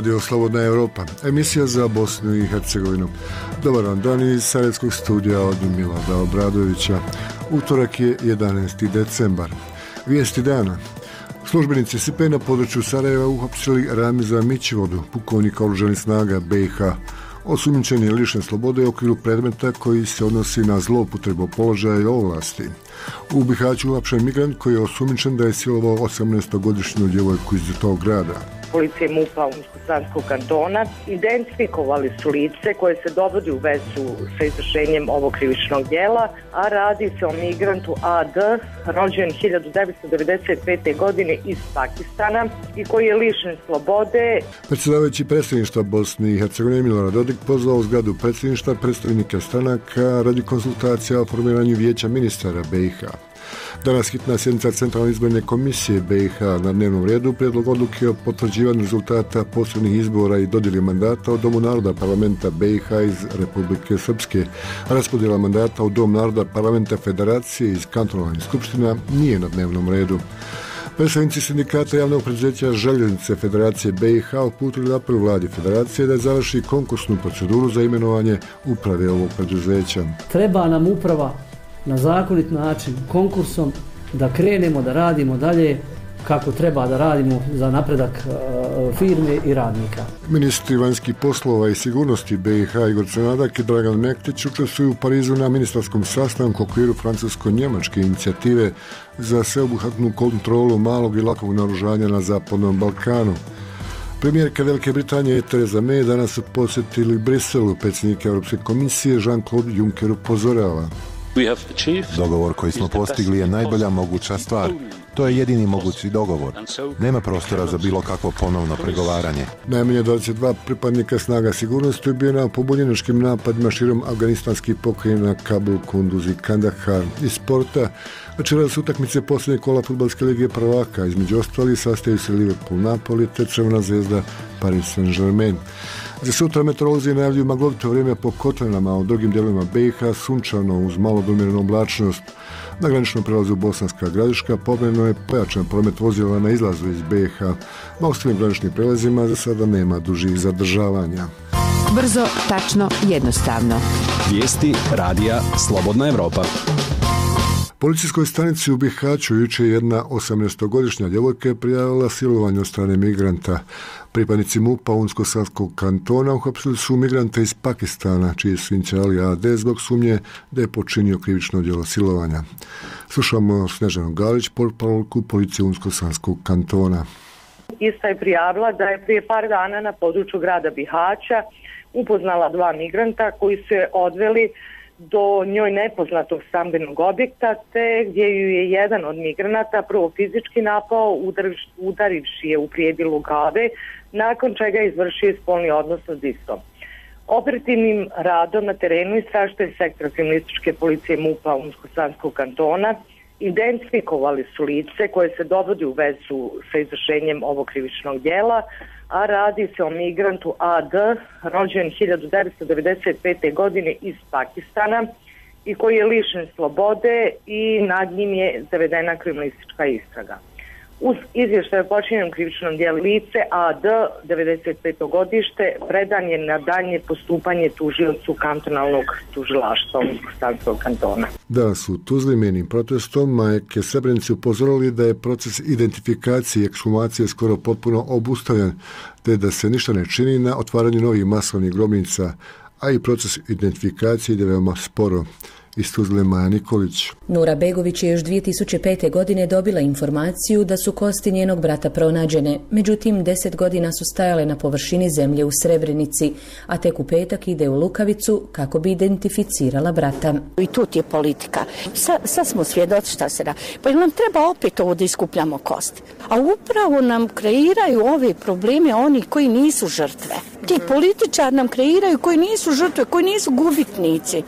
Radio Slobodna Europa, emisija za Bosnu i Hercegovinu. Dobar vam dan iz Sarajevskog studija od Milada Obradovića. Utorak je 11. decembar. Vijesti dana. Službenici SP na području Sarajeva uhapsili Ramiza Mićivodu, pukovnika oružanih snaga BiH. Osumnjičen je lišen slobode u okviru predmeta koji se odnosi na zloupotrebu položaja i ovlasti. U Bihaću uhapšen migrant koji je osumnjičen da je silovao 18-godišnju djevojku iz tog grada. Policije MUP-a Unsko-Sanskog kantona identifikovali su lice koje se dovodi u vezu sa izvršenjem ovog krivičnog djela, a radi se o migrantu AD, rođen 1995. godine iz Pakistana i koji je lišen slobode. Predsjedavajući predsjedništva Bosne i Hercegovine Milorad Dodik pozvao u zgradu predsjedništva predstavnike stranaka radi konsultacija o formiranju vijeća ministara BiH. Danas hitna sjednica Centralne izborne komisije BiH na dnevnom redu, prijedlog odluke o potvrđivanju rezultata posebnih izbora i dodjeli mandata u Domu naroda parlamenta BiH iz Republike Srpske. Raspodjela mandata u Dom naroda parlamenta Federacije iz kantonalnih skupština nije na dnevnom redu. Predstavnici sindikata javnog preduzeća Željeznice Federacije BiH uputili apel vladi Federacije da završi konkursnu proceduru za imenovanje uprave ovog preduzeća. Treba nam uprava na zakonit način, konkursom, da krenemo da radimo dalje kako treba da radimo za napredak firme i radnika. Ministri vanjskih poslova i sigurnosti BiH Igor Crnadak i Dragan Mektić učestvuju u Parizu na ministarskom sastanku u okviru francusko-njemačke inicijative za sveobuhvatnu kontrolu malog i lakog naoružanja na Zapadnom Balkanu. Premijerka Velike Britanije Theresa May danas su posjetili Briselu. Predsjednik Europske komisije Jean-Claude Juncker upozorava. Dogovor koji smo postigli je najbolja moguća stvar. To je jedini mogući dogovor. Nema prostora za bilo kakvo ponovno pregovaranje. Najmanje 22 pripadnika snaga sigurnosti ubijena u pobunjeničkim napadima širom afganistanskih pokrajina Kabul, Kunduz i Kandahar. Iz sporta večeras utakmice posljednje kola fudbalske lige prvaka. Između ostalih sastaju se Liverpool, Napoli te Crvena zvezda Paris Saint-Germain. Za sutra meteorolozi najavljuju maglovito vrijeme po kotlinama, a u drugim dijelovima BiH sunčano uz malo do umjerenu oblačnost. Na graničnom prelazu Bosanska Gradiška povremeno je pojačan promet vozila na izlazu iz BiH. Na ostalim graničnim prelazima za sada nema dužih zadržavanja. Brzo, tačno, jednostavno. Vijesti radija Slobodna Europa. Policijskoj stanici u Bihaću jučer jedna 18-godišnja djevojka je prijavila silovanje od strane migranta. Pripadnici MUP-a Unsko-Sanskog kantona uhapsili su migranta iz Pakistana, čiji su inicijali AD zbog sumnje da je počinio krivično djelo silovanja. Slušamo Snežanu Galić, portparolku policije Unsko-Sanskog kantona. Ista je prijavila da je prije par dana na području grada Bihaća upoznala dva migranta koji su je odveli do njoj nepoznatog stambenog objekta, te gdje ju je jedan od migranata prvo fizički napao, udarivši je u prijedjelu glave, nakon čega je izvršio spolni odnos s istom. Operativnim radom na terenu istražitelj sektora kriminalističke policije MUP-a Unsko-Sanskog kantona identifikovali su lice koje se dovodi u vezu sa izvršenjem ovog krivičnog djela, a radi se o migrantu AD, rođen 1995. godine iz Pakistana i koji je lišen slobode i nad njim je zavedena kriminalistička istraga. Uz izvještaj o počinjenom krivičnom djelu lice AD, 95. godište, predan je na daljnje postupanje tužiocu kantonalnog tužilaštva Unsko-Sanskog kantona. Da su Tuzli mirnim protestom majke Srebrenice upozorili da je proces identifikacije i ekshumacije skoro potpuno obustavljen, te da se ništa ne čini na otvaranju novih masovnih grobnica, a i proces identifikacije ide veoma sporo. Iz Tuzle Maja Nikolić. Nura Begović je još 2005. godine dobila informaciju da su kosti njenog brata pronađene. Međutim, 10 godina su stajale na površini zemlje u Srebrenici, a tek u petak ide u Lukavicu kako bi identificirala brata. I tu je politika. Sad smo svjedoci šta se da. Pa nam treba opet ovo da iskupljamo kosti. A upravo nam kreiraju ove probleme oni koji nisu žrtve. Ti političari nam kreiraju koji nisu žrtve, koji nisu gubitnici.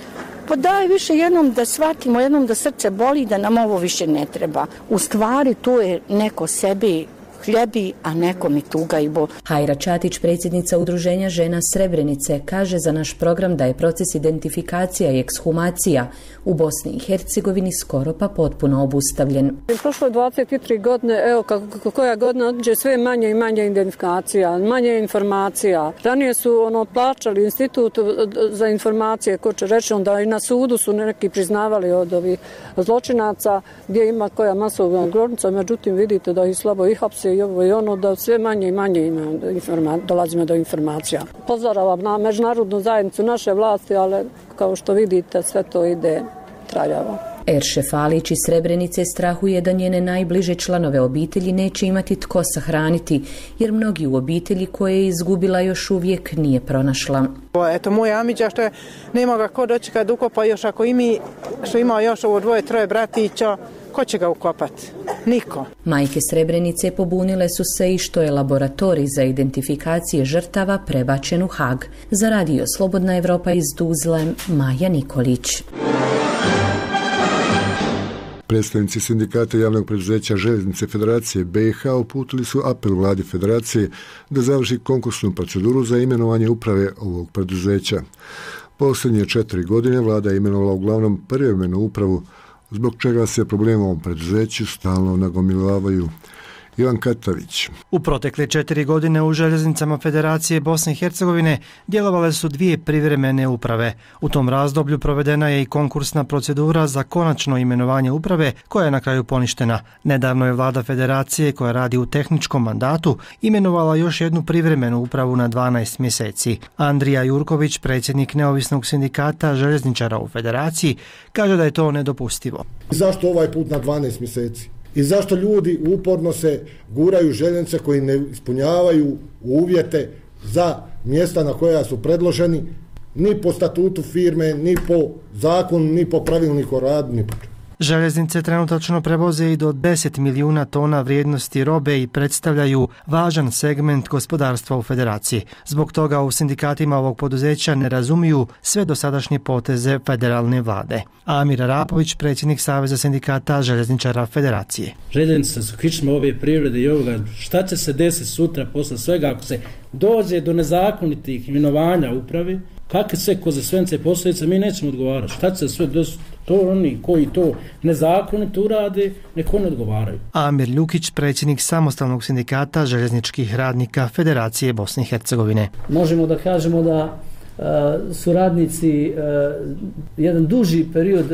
Pa daj više jednom da shvatimo, jednom da srce boli, da nam ovo više ne treba. U stvari tu je neko sebi hljebi, a neko mi tuga i bol. Hajra Čatić, predsjednica Udruženja žena Srebrenice, kaže za naš program da je proces identifikacija i ekshumacija u Bosni i Hercegovini skoro pa potpuno obustavljen. Prošlo je 23 godine, evo koja godina odđe sve manje i manje identifikacija, manje informacija. Ranije su plaćali institut za informacije, ko će reći, onda i na sudu su neki priznavali od ovih zločinaca gdje ima koja masovna grobnica, međutim vidite da ih slabo i hapse i ovo i ono, da sve manje i manje dolazimo do informacija. Pozoravam na međunarodnu zajednicu naše vlasti, ali kao što vidite sve to ide traljavo. Erše Falić iz Srebrenice strahuje da njene najbliže članove obitelji neće imati tko sahraniti, jer mnogi u obitelji koje je izgubila još uvijek nije pronašla. Eto moja amiđa što je, nema ga ko dočekati da ukopa još, ako i mi što ima još ovo 2-3 bratića, ko će ga ukopati? Niko. Majke Srebrenice pobunile su se i što je laboratorij za identifikacije žrtava prebačen u Hag. Za radio Slobodna Evropa iz Tuzle, Maja Nikolić. Predstavnici sindikata javnog preduzeća Željeznice Federacije BiH uputili su apel vladi Federacije da završi konkursnu proceduru za imenovanje uprave ovog preduzeća. Posljednje 4 godine vlada je imenovala uglavnom privremenu upravu, zbog čega se problemi u ovom preduzeću stalno nagomilavaju. Ivan Katavić. U protekle 4 godine u željeznicama Federacije Bosne i Hercegovine djelovale su 2 privremene uprave. U tom razdoblju provedena je i konkursna procedura za konačno imenovanje uprave koja je na kraju poništena. Nedavno je vlada Federacije, koja radi u tehničkom mandatu, imenovala još jednu privremenu upravu na 12 mjeseci. Andrija Jurković, predsjednik neovisnog sindikata željezničara u Federaciji, kaže da je to nedopustivo. Zašto ovaj put na 12 mjeseci? I zašto ljudi uporno se guraju željeznice koji ne ispunjavaju uvjete za mjesta na koja su predloženi, ni po statutu firme, ni po zakonu, ni po pravilniku o radu, ni po čemu. Željeznice trenutačno prevoze i do 10 milijuna tona vrijednosti robe i predstavljaju važan segment gospodarstva u Federaciji. Zbog toga u sindikatima ovog poduzeća ne razumiju sve dosadašnje poteze federalne vlade. Amir Arapović, predsjednik Saveza sindikata željezničara Federacije. Željeznice su kičma ove privrede i ovoga. Šta će se desiti sutra posle svega ako se dođe do nezakonitih imenovanja uprave? Kakve sve konzekvence posljedice, mi nećemo odgovarati. Šta će se sve desiti? To oni koji to nezakonito urade, neko ne odgovaraju. Amir Ljukić, predsjednik samostalnog sindikata željezničkih radnika Federacije Bosne i Hercegovine. Možemo da kažemo da su radnici jedan duži period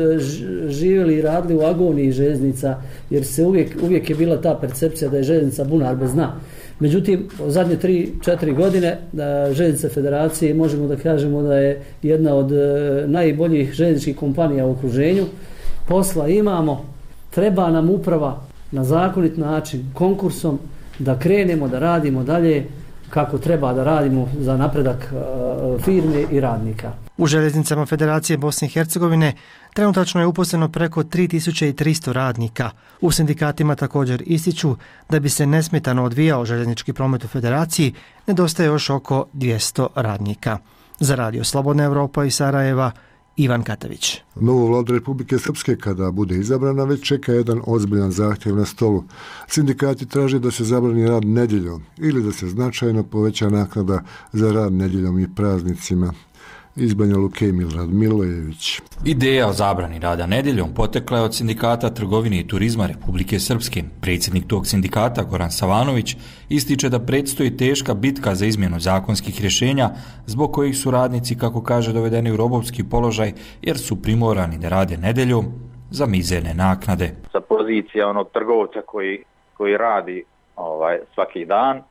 živjeli i radili u agoniji željeznica, jer se uvijek je bila ta percepcija da je željeznica bunar bez dna. Međutim, u zadnje 3-4 godine Željeznice Federacije možemo da kažemo da je jedna od najboljih željezničkih kompanija u okruženju. Posla imamo, treba nam uprava na zakonit način, konkursom, da krenemo da radimo dalje kako treba da radimo za napredak firme i radnika. U željeznicama Federacije Bosne i Hercegovine trenutačno je uposleno preko 3300 radnika. U sindikatima također ističu da bi se nesmetano odvijao željeznički promet u Federaciji, nedostaje još oko 200 radnika. Za radio Slobodna Evropa iz Sarajeva, Ivan Katavić. Novu vladu Republike Srpske, kada bude izabrana, već čeka jedan ozbiljan zahtjev na stolu. Sindikati traže da se zabrani rad nedjeljom ili da se značajno poveća naknada za rad nedjeljom i praznicima. Iz Banja Luke Milorad Milojević. Ideja o zabrani rada nedjeljom potekla je od Sindikata trgovine i turizma Republike Srpske. Predsjednik tog sindikata, Goran Savanović, ističe da predstoji teška bitka za izmjenu zakonskih rješenja, zbog kojih su radnici, kako kaže, dovedeni u robovski položaj, jer su primorani da rade nedjeljom za mizerne naknade. Sa pozicija onog trgovca koji radi svaki dan,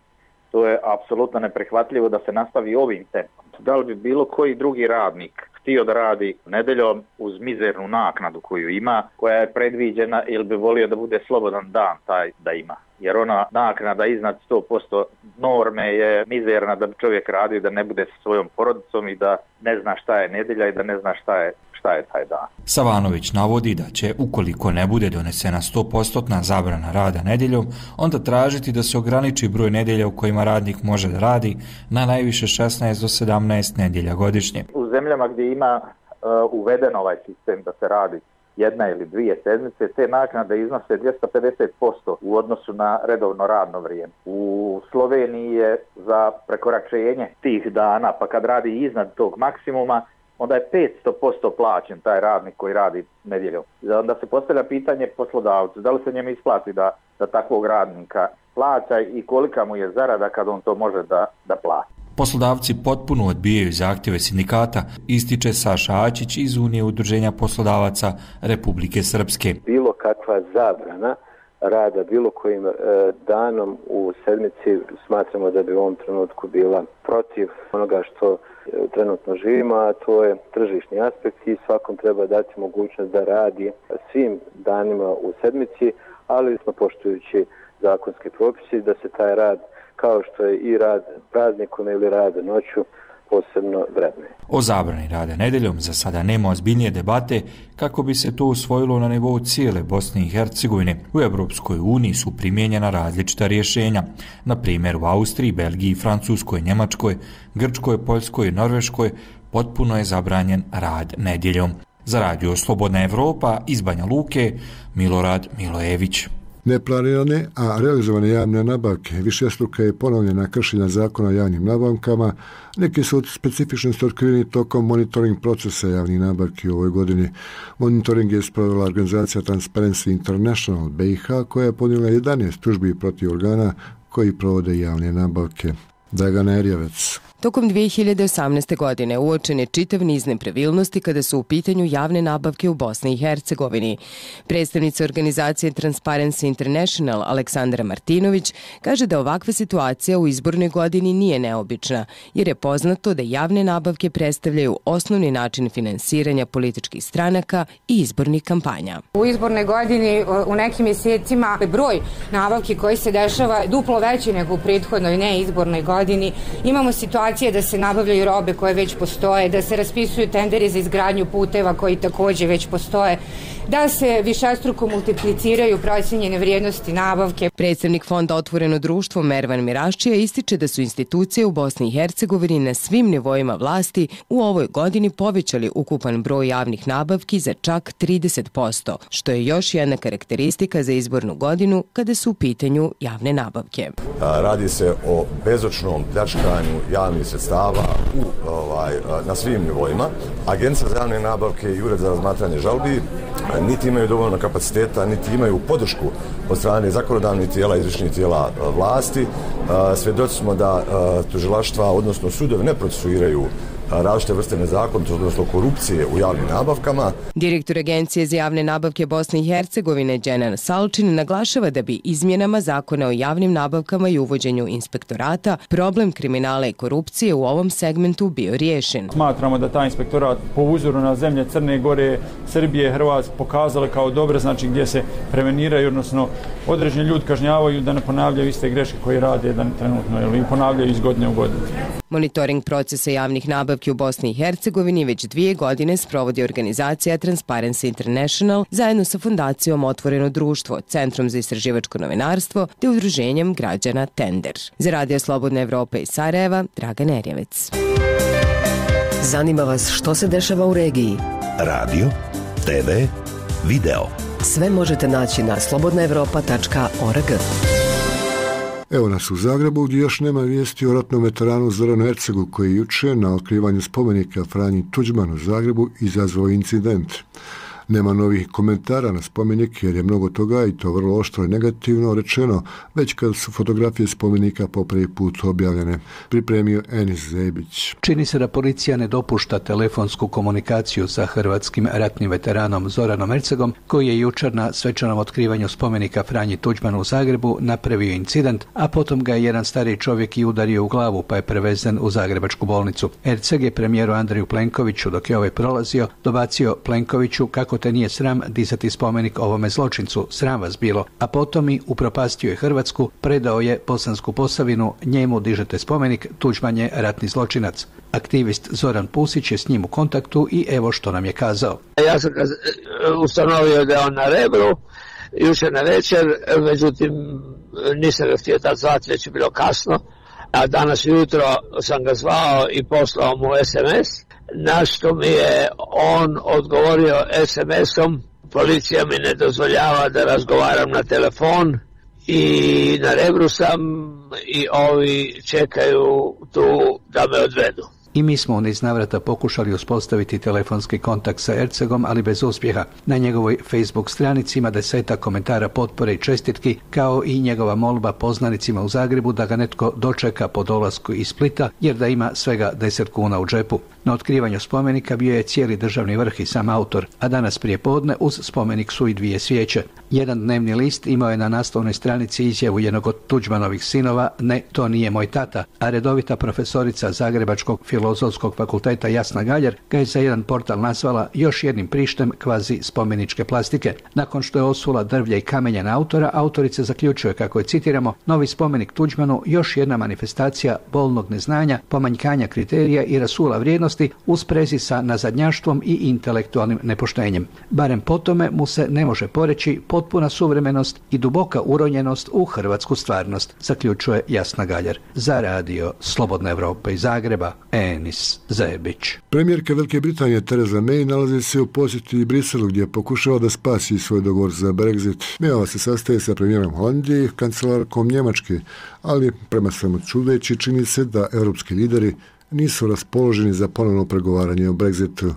to je apsolutno neprihvatljivo da se nastavi ovim tempom. Da li bi bilo koji drugi radnik htio da radi nedjeljom uz mizernu naknadu koju ima, koja je predviđena, ili bi volio da bude slobodan dan taj da ima? Jer ona naknada iznad 100% norme je mizerna da bi čovjek radio, da ne bude sa svojom porodicom i da ne zna šta je nedjelja i da ne zna šta je taj dan. Savanović navodi da će, ukoliko ne bude donesena 100% zabrana rada nedjeljom, onda tražiti da se ograniči broj nedjelja u kojima radnik može da radi na najviše 16 do 17 nedjelja godišnje. U zemljama gdje ima uveden ovaj sistem da se radi jedna ili dvije sedmice, te naknade iznose 250% u odnosu na redovno radno vrijeme. U Sloveniji je za prekoračenje tih dana, pa kad radi iznad tog maksimuma, onda je 500% plaćen taj radnik koji radi nedjeljom. Onda se postavlja pitanje poslodavcu, da li se njemu isplati da takvog radnika plaća i kolika mu je zarada kad on to može da plati. Poslodavci potpuno odbijaju zahtjeve sindikata, ističe Saša Ačić iz Unije udruženja poslodavaca Republike Srpske. Bilo kakva zabrana rada bilo kojim danom u sedmici smatramo da bi u ovom trenutku bila protiv onoga što trenutno živimo, a to je tržišni aspekt i svakom treba dati mogućnost da radi svim danima u sedmici, ali smo poštujući zakonski propisi da se taj rad, kao što je i rad praznikom ili rad noću, posebno vrednuje. O zabrani rada nedjeljom za sada nema ozbiljnije debate kako bi se to usvojilo na nivou cijele Bosne i Hercegovine. U Europskoj uniji su primijenjena različita rješenja. Na primjer u Austriji, Belgiji, Francuskoj, Njemačkoj, Grčkoj, Poljskoj i Norveškoj potpuno je zabranjen rad nedjeljom. Za Radio Slobodna Evropa iz Banja Luke, Milorad Milojević. Neplanirane, a realizovane javne nabavke višestruka je ponovljena kršenja zakona o javnim nabavkama. Neki su od specifičnosti otkriveni tokom monitoring procesa javnih nabavki u ovoj godini. Monitoring je sprovela organizacija Transparency International BiH, koja je podnijela 11 tužbi protiv organa koji provode javne nabavke. Dragana Erjevec. Tokom 2018. godine uočen je čitav niz nepravilnosti kada su u pitanju javne nabavke u Bosni i Hercegovini. Predstavnica organizacije Transparency International Aleksandra Martinović kaže da ovakva situacija u izbornoj godini nije neobična, jer je poznato da javne nabavke predstavljaju osnovni način finansiranja političkih stranaka i izbornih kampanja. U izbornoj godini u nekim mjesecima broj nabavki koji se dešava je duplo veći nego u prethodnoj neizbornoj godini. Imamo situacije da se nabavljaju robe koje već postoje, da se raspisuju tenderi za izgradnju puteva koji također već postoje, da se višestruko multipliciraju procijenjene vrijednosti nabavke. Predstavnik Fonda Otvoreno društvo Mervan Miraščija ističe da su institucije u Bosni i Hercegovini na svim nivoima vlasti u ovoj godini povećali ukupan broj javnih nabavki za čak 30%, što je još jedna karakteristika za izbornu godinu kada su u pitanju javne nabavke. Radi se o bezočnom pljačkanju javnih sredstava na svim nivoima. Agencija za javne nabavke i Ured za razmatranje žalbi niti imaju dovoljno kapaciteta, niti imaju podršku od strane zakonodavnih tijela, izvršnih tijela vlasti. Svjedoci smo da tužilaštva, odnosno sudovi, ne procesuiraju različite vrste nezakonitosti, odnosno korupcije u javnim nabavkama. Direktor Agencije za javne nabavke Bosne i Hercegovine Dženan Salčin naglašava da bi izmjenama zakona o javnim nabavkama i uvođenju inspektorata problem kriminala i korupcije u ovom segmentu bio riješen. Smatramo da taj inspektorat po uzoru na zemlje Crne Gore, Srbije, Hrvatske pokazale kao dobre, znači gdje se preveniraju, odnosno određeni ljudi kažnjavaju da ne ponavljaju iste greške koje rade trenutno ili ponavljaju iz godine u godinu. Monitoring procesa javnih nabavki u Bosni i Hercegovini već 2 godine sprovodi organizacija Transparency International zajedno sa Fondacijom Otvoreno društvo, Centrom za istraživačko novinarstvo te udruženjem građana Tender. Za Radio Slobodna Evropa iz Sarajeva, Dragan Erjevec. Zanima vas što se dešava u regiji? Radio, TV, video. Sve možete naći na slobodnaevropa.org. Evo nas u Zagrebu gdje još nema vijesti o ratnom veteranu Zoranu Ercegu koji je jučer na otkrivanju spomenika Franji Tuđmanu u Zagrebu izazvao incident. Nema novih komentara na spomenik jer je mnogo toga, i to vrlo oštro i negativno rečeno, već kad su fotografije spomenika po prvi put objavljene. Pripremio Enis Zebić. Čini se da policija ne dopušta telefonsku komunikaciju sa hrvatskim ratnim veteranom Zoranom Ercegom, koji je jučer na svečanom otkrivanju spomenika Franji Tuđmanu u Zagrebu napravio incident, a potom ga je jedan stariji čovjek i udario u glavu pa je prevezen u zagrebačku bolnicu. Erceg je premijeru Andreju Plenkoviću, dok je ovaj prolazio, dobacio Plenkoviću kako te nije sram dizati spomenik ovome zločincu, sram vas bilo, a potom i upropastio je Hrvatsku, predao je Bosansku Posavinu, njemu dižete spomenik, Tuđman je ratni zločinac. Aktivist Zoran Pusić je s njim u kontaktu i evo što nam je kazao. Ja sam ustanovio da je on na Rebru, jučer na večer, međutim nisam ga htio tad zvati, već je bilo kasno, a danas jutro sam ga zvao i poslao mu SMS, na što mi je on odgovorio SMS-om policija mi ne dozvoljava da razgovaram na telefon i na Rebru sam i ovi čekaju tu da me odvedu. I mi smo u niz navrata pokušali uspostaviti telefonski kontakt sa Ercegom, ali bez uspjeha. Na njegovoj Facebook stranici ima 10 komentara potpore i čestitki, kao i njegova molba poznanicima u Zagrebu da ga netko dočeka po dolasku iz Splita, jer da ima svega 10 kuna u džepu. Na otkrivanju spomenika bio je cijeli državni vrh i sam autor, a danas prije podne uz spomenik su i 2 svijeće. Jedan dnevni list imao je na naslovnoj stranici izjavu jednog od Tuđmanovih sinova: "Ne, to nije moj tata", a redovita profesorica Zagrebačkog Filozofskog fakulteta Jasna Galjer ga je za jedan portal nazvala još jednim prištem kvazi spomeničke plastike. Nakon što je osula drvlje i kamenja na autora, autorica zaključuje kako je, citiramo, "novi spomenik Tuđmanu još jedna manifestacija bolnog neznanja, pomanjkanja kriterija i rasula vrijednosti u sprezi sa nazadnjaštvom i intelektualnim nepoštenjem. Barem po tome mu se ne može poreći potpuna suvremenost i duboka uronjenost u hrvatsku stvarnost", zaključuje Jasna Galjer. Za radio Slobodna Evropa iz Zagreba, Enis Zebić. Premijerka Velike Britanije Theresa May nalazi se u posjeti Briselu, gdje pokušava da spasi svoj dogovor za Brexit. Mayova se sastaje sa premijerom Holandije i kancelarkom Njemačke, ali prema svemu čudeći čini se da europski lideri nisu raspoloženi za ponovno pregovaranje o Brexitu.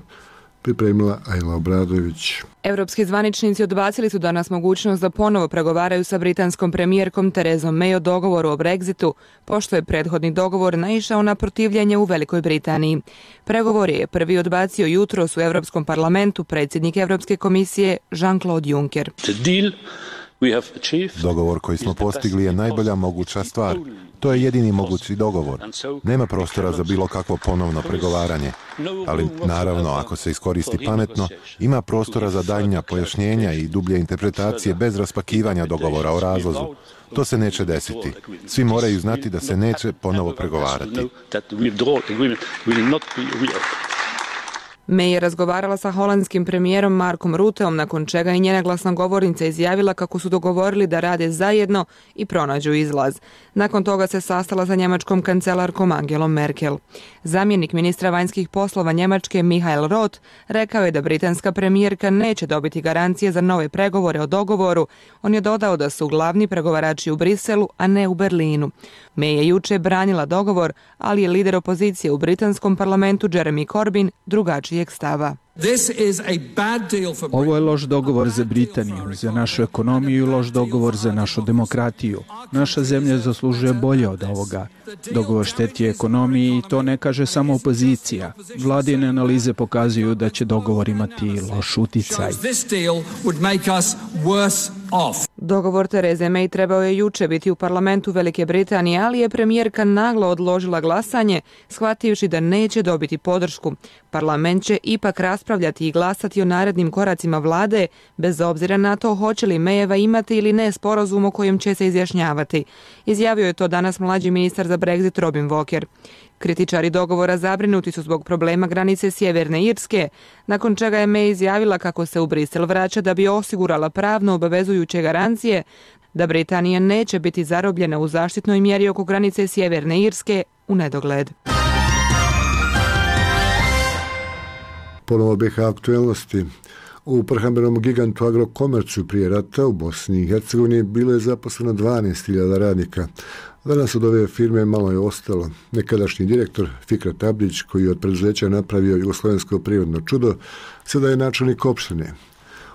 Pripremila Ajla Obradović. Europski zvaničnici odbacili su danas mogućnost da ponovo pregovaraju sa britanskom premijerkom Theresom May o dogovoru o Brexitu, pošto je prethodni dogovor naišao na protivljenje u Velikoj Britaniji. Pregovor je prvi odbacio jutros u Europskom parlamentu predsjednik Europske komisije Jean-Claude Juncker. Dogovor koji smo postigli je najbolja moguća stvar. To je jedini mogući dogovor. Nema prostora za bilo kakvo ponovno pregovaranje. Ali naravno, ako se iskoristi pametno, ima prostora za daljnja pojašnjenja i dublje interpretacije bez raspakivanja dogovora o razlozu. To se neće desiti. Svi moraju znati da se neće ponovo pregovarati. May je razgovarala sa holandskim premijerom Markom Rutteom, nakon čega je njena glasnogovornica izjavila kako su dogovorili da rade zajedno i pronađu izlaz. Nakon toga se sastala sa njemačkom kancelarkom Angelom Merkel. Zamjenik ministra vanjskih poslova Njemačke Michael Roth rekao je da britanska premijerka neće dobiti garancije za nove pregovore o dogovoru. On je dodao da su glavni pregovarači u Briselu, a ne u Berlinu. May je juče branila dogovor, ali je lider opozicije u britanskom parlamentu Jeremy Corbyn drugačijeg stava. Ovo je loš dogovor za Britaniju, za našu ekonomiju i loš dogovor za našu demokratiju. Naša zemlja zaslužuje bolje od ovoga. Dogovor šteti ekonomiji i to ne kaže samo opozicija. Vladine analize pokazuju da će dogovor imati loš uticaj. Dogovor Therese May trebao je juče biti u parlamentu Velike Britanije, ali je premijerka naglo odložila glasanje, shvativši da neće dobiti podršku. Parlament će ipak raspravljati i glasati o narednim koracima vlade, bez obzira na to hoće li Mayeva imati ili ne sporazum o kojem će se izjašnjavati. Izjavio je to danas mlađi ministar za Brexit Robin Walker. Kritičari dogovora zabrinuti su zbog problema granice Sjeverne Irske, nakon čega je May izjavila kako se u Brisel vraća da bi osigurala pravno obavezujuće garancije da Britanija neće biti zarobljena u zaštitnoj mjeri oko granice Sjeverne Irske u nedogled. Ponovo BiH aktuelnosti. U prehrambenom gigantu Agrokomercu prije rata u Bosni i Hercegovini bilo je zaposleno 12.000 radnika. Danas od ove firme malo je ostalo. Nekadašnji direktor Fikret Abdić, koji je od preduzeća napravio jugoslovensko prirodno čudo, sada je načelnik opštine.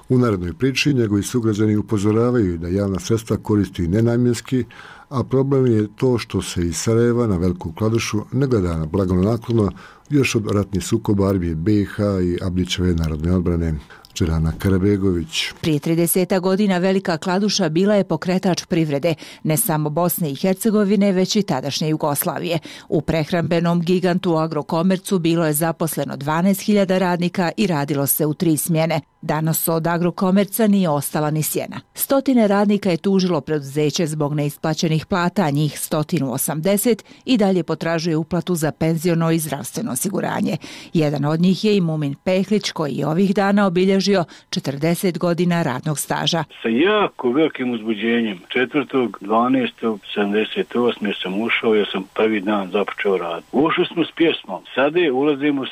U narednoj priči njegovi sugrađani upozoravaju da javna sredstva koristi nenamjenski, a problem je to što se iz Sarajeva na Veliku Kladušu ne gleda na blagonaklono još od ratnih sukoba armije BiH i Abdićeve narodne odbrane. Čerana Karabegović. Prije 30 godina Velika Kladuša bila je pokretač privrede, ne samo Bosne i Hercegovine, već i tadašnje Jugoslavije. U prehrambenom gigantu Agrokomercu bilo je zaposleno 12.000 radnika i radilo se u 3 smjene. Danas od Agrokomerca nije ostala ni sjena. Stotine radnika je tužilo preduzeće zbog neisplaćenih plata, njih 180 i dalje potražuje uplatu za penziono i zdravstveno osiguranje. Jedan od njih je i Mumin Pehlić, koji je ovih dana obilježio 40 godina radnog staža. Sa jako velikim uzbuđenjem 4.12.78. sam ušao, ja sam prvi dan započeo rad. Ušli smo s pjesmom, sada ulazimo s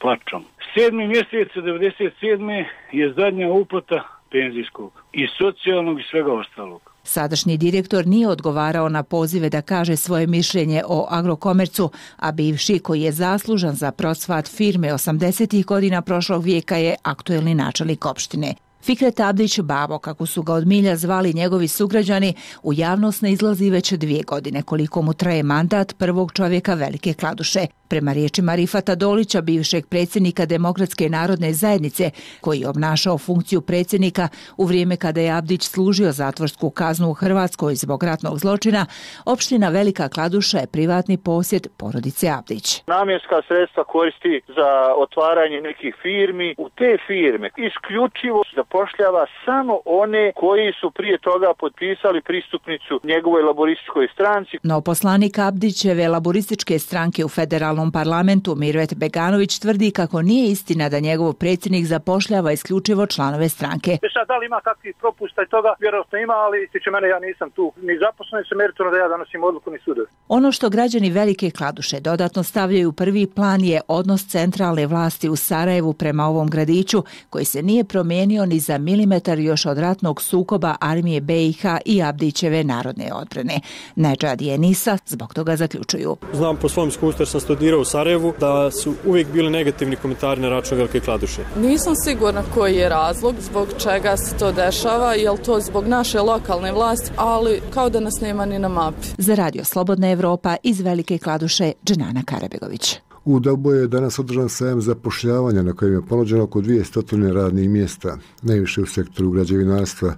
plačom. 7. mjesec 97. je zadnja uplata penzijskog, i socijalnog i svega ostalog. Sadašnji direktor nije odgovarao na pozive da kaže svoje mišljenje o Agrokomercu, a bivši, koji je zaslužan za procvat firme 80. godina prošlog vijeka, je aktuelni načelnik opštine. Fikret Abdić, Babo, kako su ga od milja zvali njegovi sugrađani, u javnost ne izlazi već 2 godine, koliko mu traje mandat prvog čovjeka Velike Kladuše. Prema riječima Rifata Dolića, bivšeg predsjednika Demokratske narodne zajednice, koji je obnašao funkciju predsjednika u vrijeme kada je Abdić služio zatvorsku kaznu u Hrvatskoj zbog ratnog zločina, opština Velika Kladuša je privatni posjed porodice Abdić. Namjenska sredstva koristi za otvaranje nekih firmi. U te firme isključivo zapošljava samo one koji su prije toga potpisali pristupnicu njegovoj laborističkoj stranci. No poslanik Abdićeve laborističke stranke u federalnom parlamentu Mirvet Beganović tvrdi kako nije istina da njegov predsjednik zapošljava isključivo članove stranke. Sad, da li ima kakvih propusta i toga? Vjerojatno ima, ali tiče mene, ja nisam tu ni zaposlen, se meritorno da ja donosim odluku ni sudovi. Ono što građani Velike Kladuše dodatno stavljaju u prvi plan je odnos centralne vlasti u Sarajevu prema ovom gradiću, koji se nije promijenio ni za milimetar još od ratnog sukoba armije BiH i Abdićeve narodne odbrane. Nedžad i Enisa zbog toga zaključuju. Znam po svom iskustvu jer sam studirao u Sarajevu da su uvijek bili negativni komentari na račun Velike Kladuše. Nisam sigurna koji je razlog zbog čega se to dešava, je li to zbog naše lokalne vlasti, ali kao da nas nema ni na mapi. Za Radio Slobodna Evropa iz Velike Kladuše, Dženana Karabegović. U Dabu je danas održan sajam zapošljavanja na kojem je ponuđeno oko 200 radnih mjesta, najviše u sektoru građevinarstva.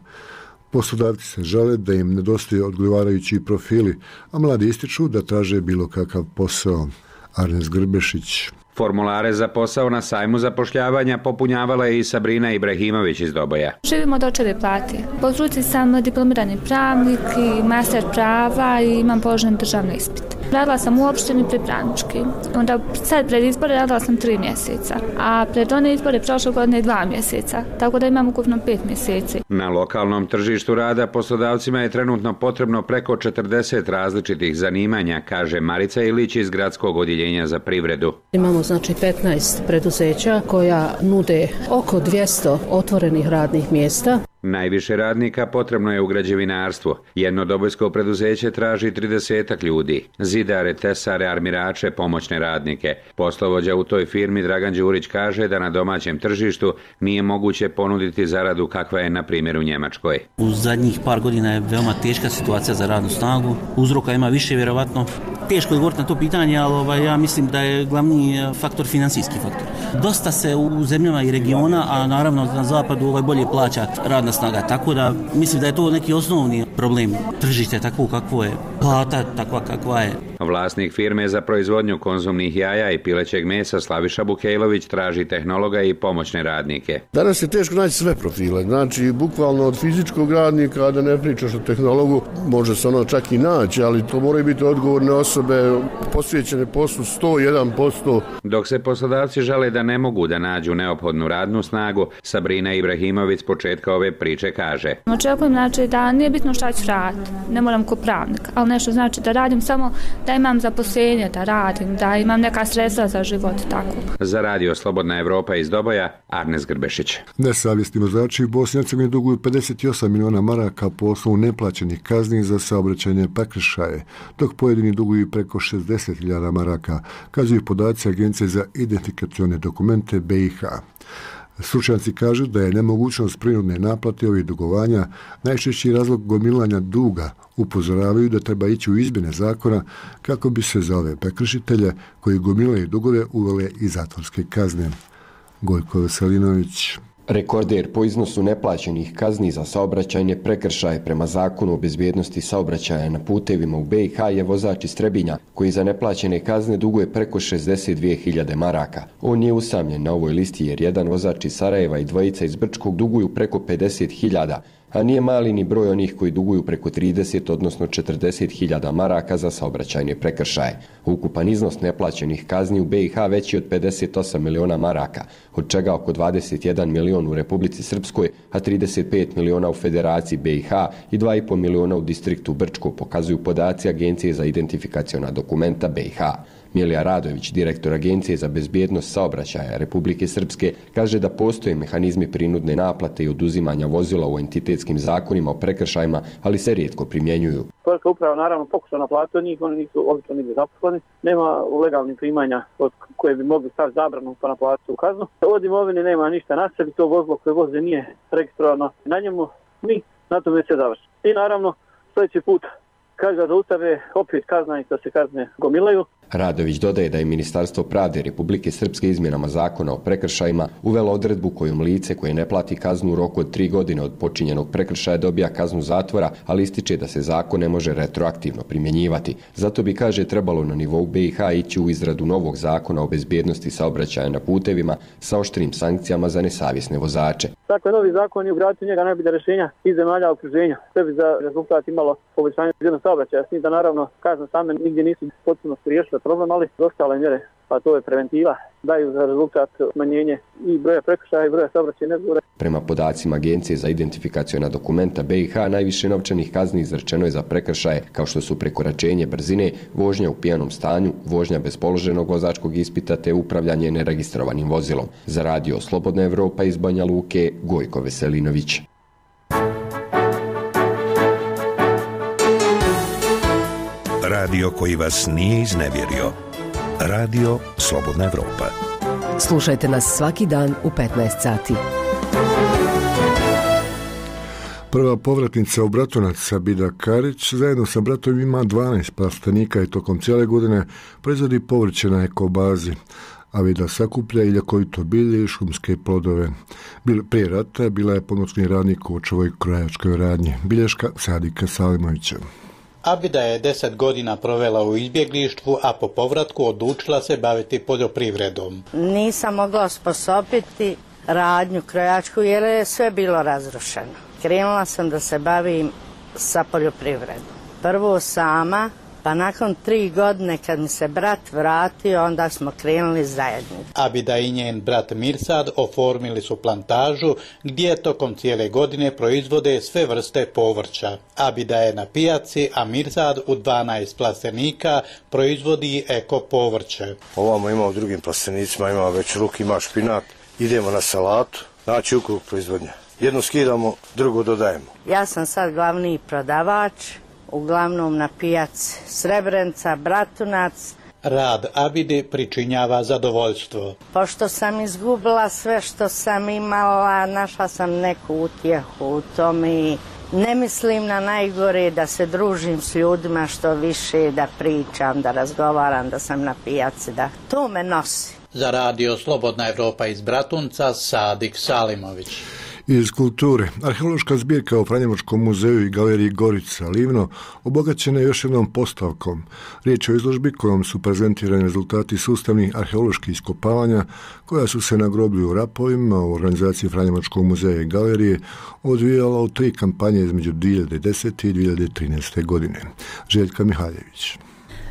Poslodavci se žale da im nedostaju odgovarajući profili, a mladi ističu da traže bilo kakav posao. Arnes Grbešić. Formulare za posao na sajmu zapošljavanja popunjavala je i Sabrina Ibrahimović iz Doboja. Živimo od očeve plati. Po struci sam diplomirani pravnik i master prava i imam položen državni ispit. Radila sam u opštini pripravnički. Onda sad pred izbore radila sam 3 mjeseca, a pred one izbore prošle godine 2 mjeseca, tako da imam ukupno 5 mjeseci. Na lokalnom tržištu rada poslodavcima je trenutno potrebno preko 40 različitih zanimanja, kaže Marica Ilić iz Gradskog odjeljenja za privredu. Imamo znači 15 preduzeća koja nude oko 200 otvorenih radnih mjesta. Najviše radnika potrebno je u građevinarstvu. Jedno dobojsko preduzeće traži 30 ljudi. Zidare, tesare, armirače, pomoćne radnike. Poslovođa u toj firmi Dragan Đurić kaže da na domaćem tržištu nije moguće ponuditi zaradu kakva je na primjer u Njemačkoj. U zadnjih par godina je veoma teška situacija za radnu snagu. Uzroka ima više vjerovatno. Teško je govoriti na to pitanje, ali ja mislim da je glavni faktor financijski faktor. Dosta se u zemljama i regiona, a naravno na zapadu bolje plaća radna snaga, tako da mislim da je to neki osnovni problem. Tržište takvo kakvo je, plata takva kakva je. Vlasnik firme za proizvodnju konzumnih jaja i pilećeg mesa Slaviša Bukejlović traži tehnologa i pomoćne radnike. Danas je teško naći sve profile, znači bukvalno od fizičkog radnika, da ne pričaš o tehnologu, može se ono čak i naći, ali to moraju biti odgovorne osobe, posvećene poslu 101%. Dok se poslodavci žale da ne mogu da nađu neophodnu radnu snagu, Sabrina Ibrahimović s početka ove priče kaže. Očekujem znači da nije bitno šta ću raditi, ne moram ko pravnik, ali nešto znači da radim samo da imam zaposlenje, da radim, da imam neka sredstva za život, tako. Za Radio Slobodna Evropa iz Doboja, Arnes Grbešić. Nesavjesni vozači u Bosni i Hercegovini duguju 58 miliona maraka po osnovu neplaćenih kazni za saobraćajne prekršaje, dok pojedini duguju preko 60.000 maraka, kazuju podaci Agencije za identifikacione dokumente BiH. Stručnjaci kažu da je nemogućnost prinudne naplate ovih dugovanja najčešći razlog gomilanja duga. Upozoravaju da treba ići u izmjene zakona kako bi se za ove prekršitelje koji gomilaju dugove uvele i zatvorske kazne. Gojko Veselinović. Rekorder po iznosu neplaćenih kazni za saobraćajne prekršaje prema zakonu o bezbjednosti saobraćaja na putevima u BiH je vozač iz Trebinja, koji za neplaćene kazne duguje preko 62.000 maraka. On je usamljen na ovoj listi jer jedan vozač iz Sarajeva i dvojica iz Brčkog duguju preko 50.000, a nije mali ni broj onih koji duguju preko 30, odnosno 40.000 maraka za saobraćajne prekršaje. Ukupan iznos neplaćenih kazni u BiH veći od 58 miliona maraka, od čega oko 21 milion u Republici Srpskoj, a 35 miliona u Federaciji BiH i 2,5 miliona u distriktu Brčko, pokazuju podaci Agencije za identifikaciona dokumenta BiH. Milija Radović, direktor Agencije za bezbjednost saobraćaja Republike Srpske, kaže da postoje mehanizmi prinudne naplate i oduzimanja vozila u entitetskim zakonima o prekršajima, ali se rijetko primjenjuju. Poreska uprava naravno pokuša naplatiti od njih, oni nisu obično nigdje zaposleni, nema legalnih primanja od koje bi mogli staviti zabranu pa naplatiti u kaznu. Od imovine nema ništa na sebi, to vozilo koje voze nije registrovano na njemu, mi na tome se završi. I naravno sljedeći put kad ga zaustave, opet kazna i da se kazne gomilaju. Radović dodaje da je Ministarstvo pravde Republike Srpske izmjenama zakona o prekršajima uvelo odredbu kojom lice koje ne plati kaznu u roku od 3 godine od počinjenog prekršaja dobija kaznu zatvora, ali ističe da se zakon ne može retroaktivno primjenjivati. Zato bi, kaže, trebalo na nivou BiH ići u izradu novog zakona o bezbjednosti saobraćaja na putevima sa oštrim sankcijama za nesavjesne vozače. Dakle, novi zakon je ugraditi njega najbolja rješenja iz zemalja okruženja. Sve bi za rezultat imalo poboljšanje bezbjednosti saobraćaja. S njim da naravno kazne same nigdje nisu potpuno riješile problem, ali ostale mjere, pa to je preventiva, daju za rezultat smanjenje i broja prekršaja i broja saobraćajnih nezgoda. Prema podacima Agencije za identifikaciona dokumenta BiH, najviše novčanih kazni izrečeno je za prekršaje kao što su prekoračenje brzine, vožnja u pijanom stanju, vožnja bez položenog vozačkog ispita te upravljanje neregistrovanim vozilom. Za radio Slobodna Evropa iz Banja Luke, Gojko Veselinović. Radio koji vas nije iznevjerio. Radio Slobodna Evropa. Slušajte nas svaki dan u 15 sati. Prva povratnica u Bratunac, Sabida Karić, zajedno sa bratom ima 12 plastenika i tokom cijele godine proizvodi povrće na ekobazi. Avida sakuplja i ljekovito bilje i šumske plodove. Prije rata bila je pomoćni radnik u očevoj krojačkoj radnji. Bilješka Sadika Salimovića. Abida je 10 godina provela u izbjeglištvu, a po povratku odlučila se baviti poljoprivredom. Nisam mogla osposobiti radnju krojačku jer je sve bilo razrušeno. Krenula sam da se bavim sa poljoprivredom. Prvo sama, pa nakon 3 godine kad mi se brat vratio, onda smo krenuli zajedno. Abida i njen brat Mirsad oformili su plantažu gdje tokom cijele godine proizvode sve vrste povrća. Abida je na pijaci, a Mirsad u 12 plastenika proizvodi eko povrće. Ovamo ima u drugim plastenicima, ima već ruk, ima špinat. Idemo na salatu, znači ukrug proizvodnja. Jedno skidamo, drugo dodajemo. Ja sam sad glavni prodavač, uglavnom na pijaci Srebrenica, Bratunac. Rad Abide pričinjava zadovoljstvo. Pošto sam izgubila sve što sam imala, našla sam neku utjehu u tome i ne mislim na najgore, da se družim s ljudima što više, da pričam, da razgovaram, da sam na pijaci, da to me nosi. Za radio Slobodna Evropa iz Bratunca, Sadik Salimović. Iz kulture, arheološka zbirka u Franjevačkom muzeju i galeriji Gorica Livno obogaćena je još jednom postavkom. Riječ je o izložbi kojom su prezentirani rezultati sustavnih arheoloških iskopavanja koja su se na groblju u Rapovima u organizaciji Franjevačkog muzeja i galerije odvijala u 3 kampanje između 2010. i 2013. godine. Željka Mihaljević.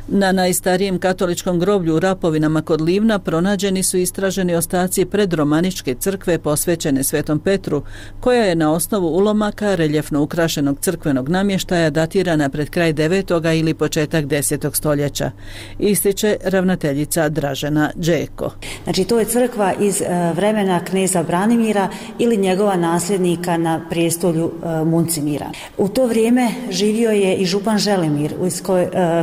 Na najstarijem katoličkom groblju u Rapovinama kod Livna pronađeni su istraženi ostaci predromaničke crkve posvećene Svetom Petru, koja je na osnovu ulomaka reljefno ukrašenog crkvenog namještaja datirana pred kraj 9. ili početak 10. stoljeća, ističe ravnateljica Dražena Đeko. Znači, to je crkva iz vremena kneza Branimira ili njegova nasljednika na prijestolju Muncimira. U to vrijeme živio je i župan Želimir,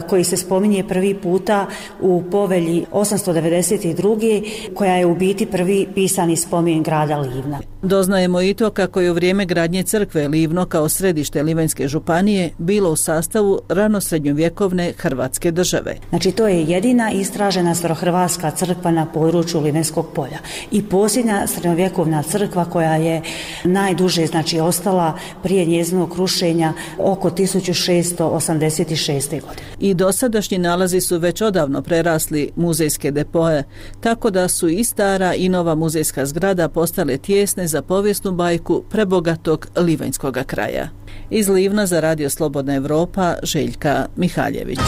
koji se spominje prvi puta u povelji 892. koja je u biti prvi pisani spomen grada Livna. Doznajemo i to kako je u vrijeme gradnje crkve Livno kao središte Livanjske županije bilo u sastavu ranosrednjovjekovne Hrvatske države. Znači, to je jedina istražena starohrvatska crkva na području Livanjskog polja i posljednja srednjovjekovna crkva koja je najduže ostala prije njezinog rušenja oko 1686. godine. I dosadašnji nalazi su već odavno prerasli muzejske depoje, tako da su i stara i nova muzejska zgrada postale tijesne za povijesnu bajku prebogatog livanjskog kraja. Iz Livna za radio Slobodna Evropa, Željka Mihaljević.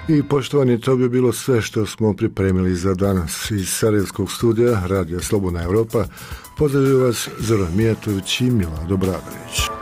I poštovani, to bi bilo sve što smo pripremili za danas. Iz Sarajevskog studija Radio Slobodna Evropa pozdravljaju vas Zoran Mijatović i Milado Bradović.